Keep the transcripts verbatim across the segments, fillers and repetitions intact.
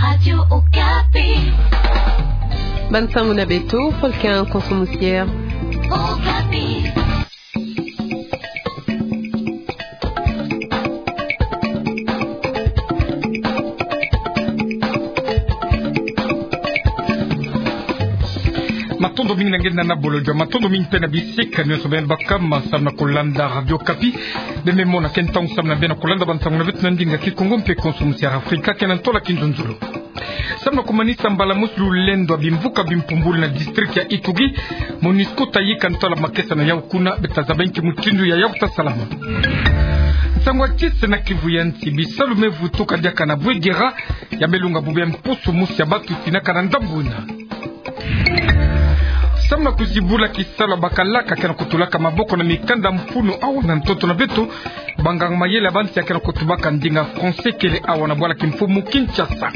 Radio Okapi. Bansango na beto, Volcan Konso Musiere. Okapi. Matondo mingi na nge na bolodjo, matondo mingi mpe na bisika nyonso beno me baka ma samu na kulanda Radio Okapi. Beno me mona ke ntangu samu na beno kulanda bansango na beto na ndinga Kikongo mpe Konso Musiere Afrika, ke na ntola kinzonzolo. Samu na kumanisa mbala mosi lulendo ya bimvuka bimpumbulu na district ya Ituri, MONUSCO ta yika ntola makesa na yau kuna. Beto ta zaba nki mutindu ya yau ta salama. Nsangu ya kisi na Kivu ya nsi, bisalu me vutuka diaka na Bouiguira, ya me lunga bubu ya mposo mosi ya batu sinaka na ndambu yina. Samu na kuzibula kisalu ya bakalaka ke na kutulaka maboko na mikanda mfunu awa na ntoto na beto, banganga mayele ya bansi ya ke na kutubaka ndinga français kele awa na bwala kimfumu Kinshasa.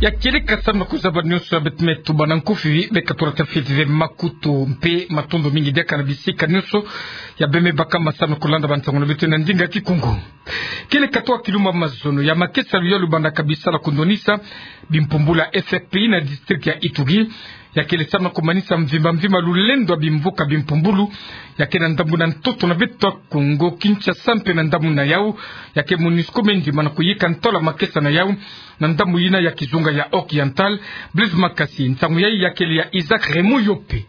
Ya kieleka samu na kuzaba nyonso ya beto me tuba na nkufi, beka tula tafiti ve makutu mpe matondo mingi diaka na bisika nyonso ya beno me baka ma samu na kulanda bansango na beto na ndinga Kikongo. Kieleka twa kilumbu ya mazono ya makesa ya luyalo bandaka bisala kundwanisa bimpumbulu ya F R P I na district ya Ituri, ya kele samu na kumanisa mvimba mvimba lulendo ya bimvuka bimpumbulu ya ke na ndambu na ntoto na beto Kongo Kinshasa mpe na ndambu na yau, ya ke MONUSCO me ndima na kuyika ntola makesa na yau na ndambu yina ya kizunga ya Oriental. Blaise Makasi, nsangu yai ya kele ya Isaac Raymond Yope.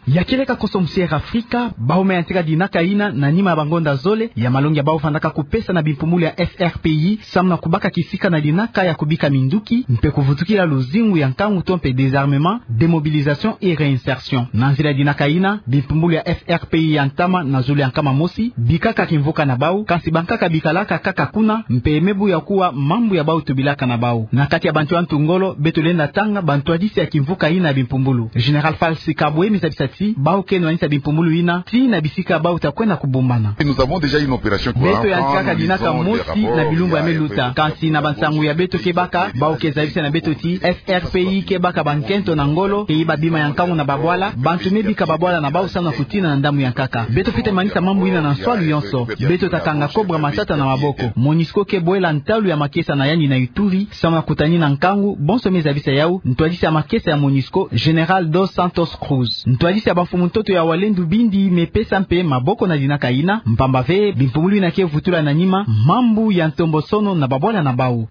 Ya kieleka Konso Musiere Afrika, bawu me yantika dinaka yina na nima ya bangonda zole ya malongi ya bawu vandaka kupesa na bimpumbulu ya F R P I, samu na kubaka kisika na dinaka ya kubika minduki, mpe kuvutukila luzingu ya nkangu to mpe désarmement, démobilisation et réinsertion. Na nzila ya dinaka yina, bimpumbulu ya F R P I ya ntama na zulu ya nkama mosi bikaka kimvuka na bawu, kansi bankaka bikalaka kaka kuna, mpe me buya kuwa mambu ya bawu tubilaka na bawu. Na kati ya bantu ya ntu ngolo, beto lenda tanga bantwadisi ya kimvuka yina ya bimpumbulu. Général Falsi Kabwe me zabisa ti bawu ke nwanisa bimpumbulu yina tii na bisika bawu ta kwenda kubumbana. Nous avons déjà une opération. Beto yantikaka dinaka mosi na bilumbu ya me luta. Kansi na bansangu ya beto ke baka, bawu ke zabisa na beto ti F R P I ke baka bankento na ngolo, ke yiba bima ya nkangu na babwala, bantu me bika babwala na bawu samu na kutina na ndambu ya nkaka. Beto fwete manisa mambu yina na nswalu yonso. Beto ta kanga Cobra Matata na maboko. MONUSCO ke bwela ntalu ya makesa na yandi na Ituri, samu na kutanina nkangu, bonso me zabisa yau ntwadisi ya makesa ya MONUSCO, Général Dos Santos Cruz. Ntwadisi ya bamfumu ntoto ya Walendu bindi me pesa mpe maboko na dinaka yina, mpamba ve bimpumbulu yina ke vutula na nima mambu ya ntombosono na babwala na bawu.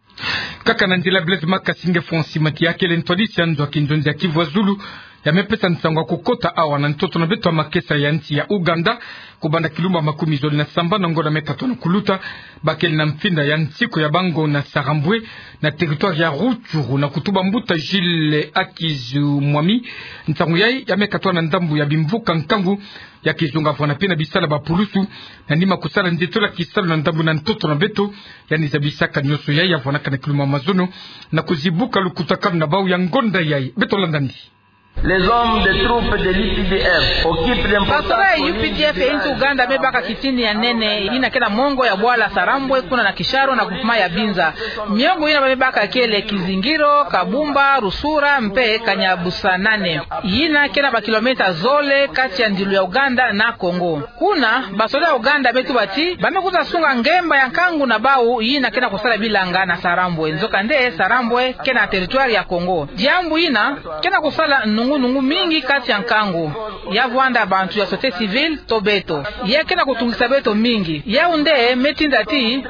Kaka na nzila, Blaise Makasi, nge Francis Mati, ya kele ntwadisi ya nzo ya kinzonzi ya Kivu ya Zulu, ya me pesa nsangu ya kukota awa na ntoto na beto ya makesa ya nsi ya Ouganda, kubanda kilumbu ya makumi zole na sambanu na ngonda me katwa na kuluta, bakele na mfinda ya nsiko ya bango na Sarambwe, na territoire ya Rutshuru, na kutuba mbuta Gilles Akizu Mwami. Nsangu yai ya me katwa na ndambu ya bimvuka nkangu ya kizunga vwana mpe na bisala ba pulusu, na nima kusala nzitola kisalu na ndambu na ntoto na beto. Yandi zabisaka nyonso yai ya vwanaka na kilumbu ya mazono, na kuzibuka lukutakanu na bawu ya ngonda yai. Beto landa ndi. Les hommes des troupes de l'U P D F occupent d'importantes... Basoda ya U P D F ya nsi Ouganda me baka kitini ya nene, yina ke na mongo ya bwala Sarambwe, kuna na Kisharo, na groupement ya Binza. Miongo yina ba me baka kele Kizingiro, Kabumba, Rusura, mpe Kanyabusanane, yina ke na bakilometa zole kati ya ndilu ya Ouganda na Congo. Kuna, basoda ya Ouganda me tuba ti ba me kwiza sunga ngemba ya nkangu na bawu yina ke na kusala bilanga na Sarambwe. Nzokande, Sarambwe ke na territoire ya Congo. Diambu yina ke na kusala nungu-nungu mingi kati ya nkangu, ya vwanda bantu ya société civile to beto. Ya ke na kutungisa beto mingi. Yau nde me tinda ti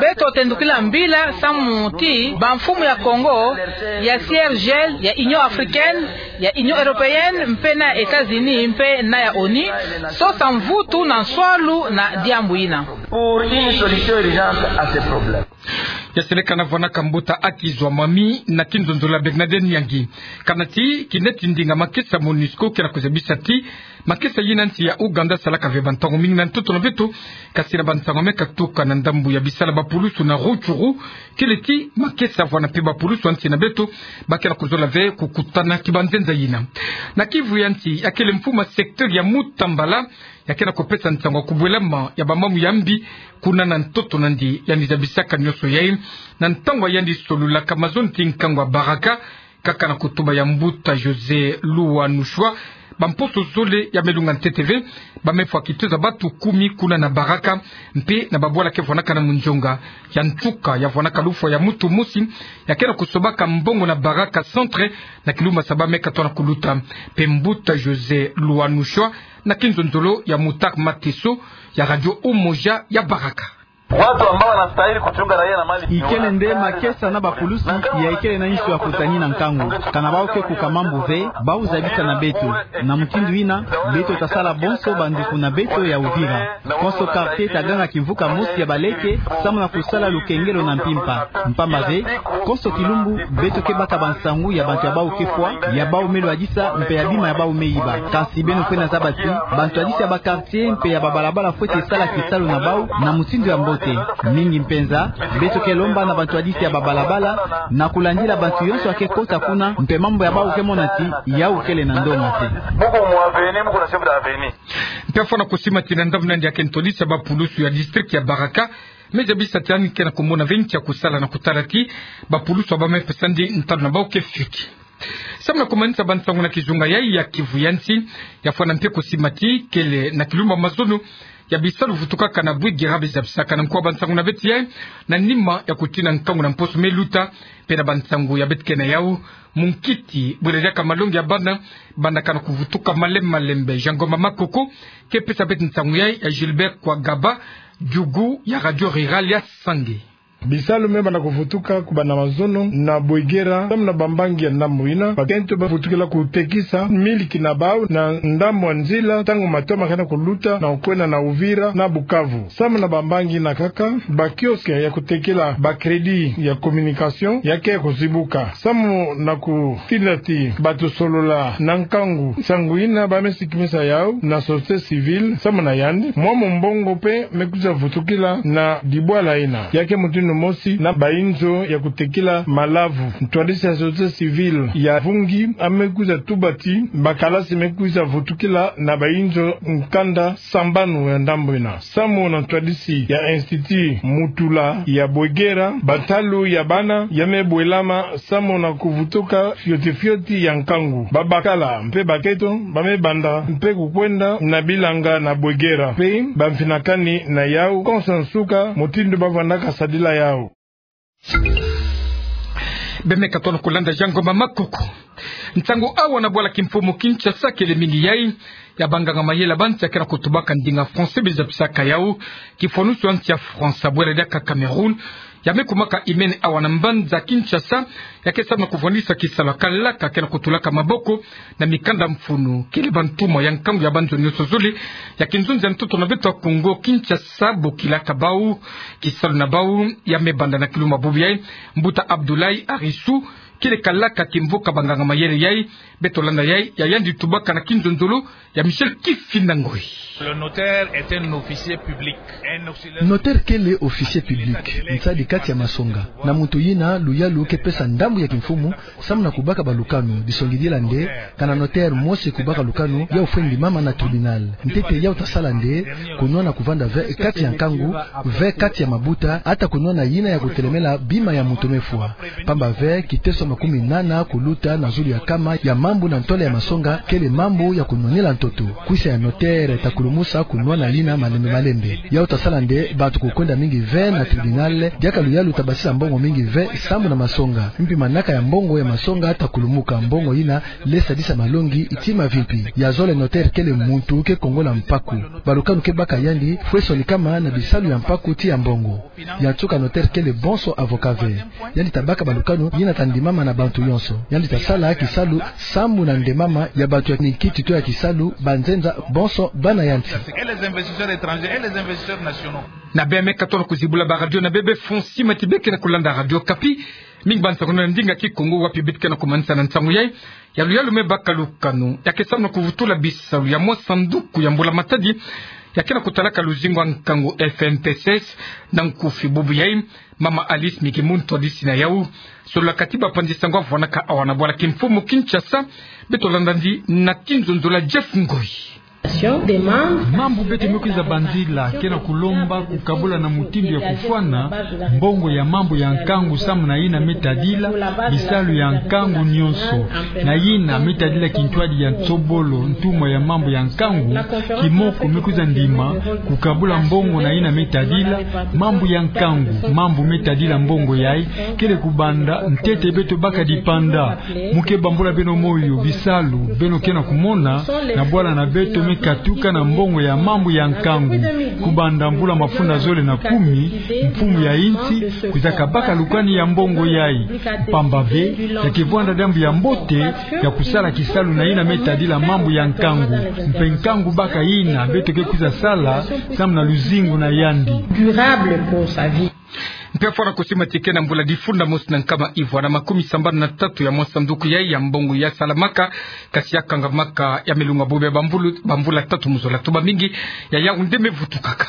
beto tendukila mbila samu ti bamfumu ya Congo, ya C I R G L, ya Union Africaine, ya Union Européenne, mpe na États-Unis, mpe na ya ONU, sosa mvutu na nswalu na diambu yina. Pour une solution urgente à ce problème. Ya seleka na vwanaka mbuta Akizu Mwami na kinzonzolo ya Bernadette Nyangi. Kana ti kineti ndinga makesa MONUSCO ke na kuzabisa ti makesa yina nsi ya Ouganda salaka ve bantangu mingi na ntoto na beto, kasi na bantangu me katuka na ndambu ya bisala ba pulusu na Rutshuru, kele ti makesa vwana mpe ba pulusu ya nsi na beto ba ke na kuzola ve kukutana kibanzenza yina. Na Kivu ya nsi, ya kele mfumu ya secteur ya Mutambala, ya ke na kupesa nsangu ya kubwelama ya bamambu ya mbi kuna na ntoto na ndi. Yandi zabisaka nyonso yai na ntangu ya yandi solulaka mazono ti nkangu ya baraka, kaka na kutuba ya mbuta José Luwanushwa, Bamposo zole ya me lunga ntete ve, ba me fwa kitezo ya batu kumi kuna na Baraka, mpe na babwala ke vwanaka na Mondjonga. Ya ntuka ya vwanaka lufwa ya mutu mosi, ya ke na kusobaka mbongo na Baraka Centre, na kilumbu sa ba me katoa na kuluta. Mpe mbuta José Luanushwa, na kinzonzolo ya Mutar Mateso, ya Radio Umoja ya Baraka. Watu ambao wanastahili kuchunga raia na mali. Ikele nde makesa na bapulusi ya ikele na insu ya kutani na nkangu. Kana bau ke kuka mambu ve, bau zabisa na beto. Na mutindu ina, beto ta sala bonso banduku na beto ya Uvira. Konso quartier ta ganga kimvuka mosi ya baleke, samu na kusala lukengelo na mpimpa. Mpamba ve, konso kilumbu, beto ke baka bansangu ya bantu ya bau ke fwa, ya bau me lwadisa, mpe ya bima ya bau me yiba. Kansi beno fweti zaba ti, bantu yadisi ya ba quartier mpe ya babalabala fweti sala kisalu na bau na mutindu ya mbote. Mingi mpenza, beto ke lomba na bantu yadisi ya babalabala, na kulandila bantu yonso ya ke kota kuna, mpe mambu ya bau ke mona ti, yau kele na ndonga te. Buku mu avenue, buku na chef d'avenue. Mpe afwana kusimatina ndambu na yandi ya ke ntwadisi ya bapulusu ya district ya Baraka, me zabisa ti yandi ke na kumona ve nki ya kusala na kutala ti, bapulusu ya ba me pesa ndi ntalu na bau ke fioti. Samu na kumanisa bansangu na kizunga yai ya Kivu ya nsi, ya fwana mpe kusima ti kele na kilumbu ya mazono ya bisalu vutukaka na Bouiguira be zabisaka na nko ya bansangu na beti yai, na nima ya kutina nkangu na mposo me luta, mpe na bansangu ya beti ke na yau, munkiti bwela diaka malongi ya bana, bandaka na kuvutuka malembe malembe. Jean Ngoma Makoko ke pesa beti nsangu yai ya Gilbert Kwagaba, diugu ya Radio Rurale ya Sange. Bisalu me banda kuvutuka kubanda mazono na Bouiguira, samu na bambangi ya ndambu ina, bakento bavutukila kutekisa miliki na bau na ndambu ya nzila, ntangu matomo ke na kuluta na kukwenda na Uvira na Bukavu. Samu na bambangi ina kaka, ba kiosque ya kutekila ba crédit ya communication ya ke kuzibuka. Samu na kutinda ti batusolola na nkangu nsangu ina, ba me sikimisa yau na société civile, samu na yandi, mwa mumbongo mpe me kwiza vutukila na dibwala ina. Ya ke mutindu mosi na bainzo ya kutekila malavu. Ntwadisi ya société civile ya Vungi a me kwiza tuba ti, bakalasi me kwiza vutukila na bainzo nkanda sambanu ya ndambu ina. Samu na ntwadisi ya Institut Mutula ya Bouiguira, bantalu ya bana ya me bwelama samu na kuvutuka fioti fioti ya nkangu. Babakala mpe bakento ba me banda mpe kukwenda na bilanga na Bouiguira. Mpe bamfinakani na yau konso nsuka mutindu bavandaka sadila yau. Be me katono kulanda Jean Ngoma Makoko. Nsangu awa na bwala kimfumu Kinshasa kele mingi yai ya banganga mayela ba nsi ya ke na kutubaka ndinga français be zabisaka yau kifwanusu ya nsi ya France bwela diaka Cameroun, ya me kumaka imene awa na mbanza Kinshasa, ya ke samu na kuvwandisa kisalu ya kalaka ke na kutulaka maboko na mikanda mfunu, kele bantuma ya nkangu ya banzo nyonso zole ya kinzonzi ya ntoto na beto ya Kongo Kinshasa bokilaka bau. Kisalu na bau ya me banda na kilumbu bubu yai. Mbuta Abdoulaye Arissou kele kalaka kimvuka banganga mayela yai. Beto landa yai ya yandi tubaka na kinzonzolo ya Michel Kifinda Ngoi. Le notaire est un officier public. Un auxiliaire. Notaire kele officier public, nsadi kati ya masonga. Na muntu yina luyalu ke pesa ndambu ya kimfumu samu na kubaka balukanu. Disongidila nde, kana notaire mosi kubaka lukanu, yau fwe ndimama na tribunal. Ntete yau ta sala nde, kunwana kuvanda ve kati ya nkangu, ve kati ya mabuta, ata kunwana yina ya kutelemela bima ya muntu me fwa. Pamba ve, kiteso makumi nana kuluta na zulu ya kama ya mambu na ntwala ya masonga kele mambu ya kunwanila ntoto. Kwisa ya notaire ta kulumusa kunwana yina malembe malembe. Yau ta sala nde bantu kukwenda mingi ve na tribunal, diaka luyalu ta basisa mbongo mingi ve sambu na masonga. Mpi manaka ya mbongo ya masonga ta kulumuka, mbongo yina le sadisa malongi ti mavimpi. Ya zole notaire kele muntu ke kongola mpaku. Balukanu ke baka yandi fwe sonikama na bisalu ya mpaku ti ya mbongo. Ya nsuka notaire kele bonso avocat ve. Yandi ta baka balukanu yina ta ndimama na bantu yonso. Yandi ta sala kisalu sambu na ndemama ya bantu ya minkiti to ya kisalu, banzenza bonso bana ya nsi. Et les investisseurs étrangers et les investisseurs nationaux. Na bê ya me katono kuzibula ba radio na bê, bê Fonsi Mati bê ke na kulanda Radio Okapi. Mingi bansangu na ndinga Kikongo wapi bê ke na kumanisa na nsangu yai. Ya luyalu me baka lukanu ya ke samu na kuvutula bisalu ya mwa sanduku ya mbula matadi ya ke na kutalaka luzingu ya nkangu F N P S S na nkufi bubu yai. Mama Alice Miki, muntu ntwadisi na yau, solola kati bapanzi nsangu avwanaka awa na bwala kimfumu Kinshasa. Beto landa ndi na kinzonzolo ya Jeff Ngoi. Mambu beto me kwiza banzila ke na kulomba kukabula na mutindu ya kufwana mbongo ya mambu ya nkangu samu na yina me tadila bisalu ya nkangu nionso, na yina me tadila kintwadi ya nsobolo, ntumwa ya mambu ya nkangu, kimoko me kwiza ndima kukabula mbongo na yina me tadila mambu ya nkangu. Mambu me tadila mbongo yayi kele kubanda ntete beto baka dipanda. Mu ke bambula beno moyo bisalu beno ke na kumona na bwala na beto me katuka na mbongo ya mambu ya nkangu. Kubanda mvula mafunda zole na kumi, mfumu ya insi kwiza kabaka lukani ya mbongo yayi. Mpamba ve, ya ke vwanda diambu ya mbote ya kusala kisalu na yina me tadila mambu ya nkangu. Mpe nkangu baka yina beto ke kwiza sala samu na luzingu na yandi. Mpe fwana kosima ti ke na mbula difunda mosi na nkama ivwa na makumi sambanu na tatu ya mwa sanduku yayi ya mbongo ya salamaka, kasi ya kangamaka ya milunga bobe bambulu, bambula tatu mu zola. Tuba mingi ya yawu nde me vutukaka.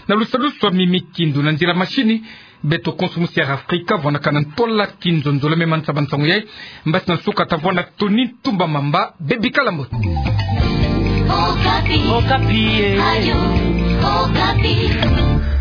Na lusalusu swa mimi kindu na nzila masini, beto konso musi ya Afrika vwanakana ntola kinzonzolo me mansamba nsangu yayi. Mbasi na nsuka tavwanda Tony Tumba Mamba, bebi kala mbote. Okapi. Okapi, eh. Radio Okapi.